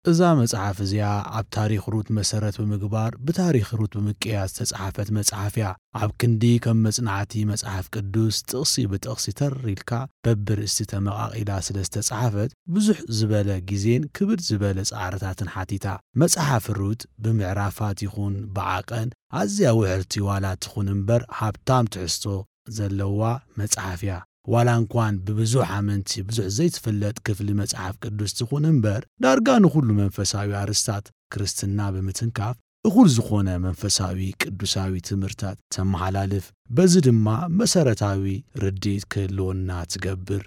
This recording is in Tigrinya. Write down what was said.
እዛ መጽሓፍ እዚኣ ኣብ ታሪኽ ሩት መሰረት ብምግባር ብታሪኽ ሩት ብምቅያስ ዝተጻሕፈት መጽሓፍ እያ። ኣብ ክንዲ ከም መጽናዕቲ መጽሓፍ ቅዱስ ጥቕሲ ብጥቕሲ ተር ኢልካ በብርእስቲ ተመቓቒላ ስለ ዝተጻሕፈት ብዙሕ ዝበለ ግዜን ክብድ ዝበለ ጻዕርታትን ሓቲታ። መጽሓፍ ሩት ብምዕራፋት ይኹን ብዓቐን ኣዝያ ውሕርቲ ዋላ ትኹን እምበር ሃብታም ትሕዝቶ ዘለዋ መጽሓፍ እያ። ዋላ እንኳን ብብዙሕ ኣመንቲ ብዙሕ ዘይትፍለጥ ክፍሊ መጽሓፍ ቅዱስ ትኹን እምበር ዳርጋ ንኹሉ መንፈሳዊ ኣርስታት ክርስትና ብምትንካፍ እኹል ዝኾነ መንፈሳዊ ቅዱሳዊ ትምህርታት ተመሓላልፍ። በዚ ድማ መሰረታዊ ርድኢት ክህልወና ትገብር።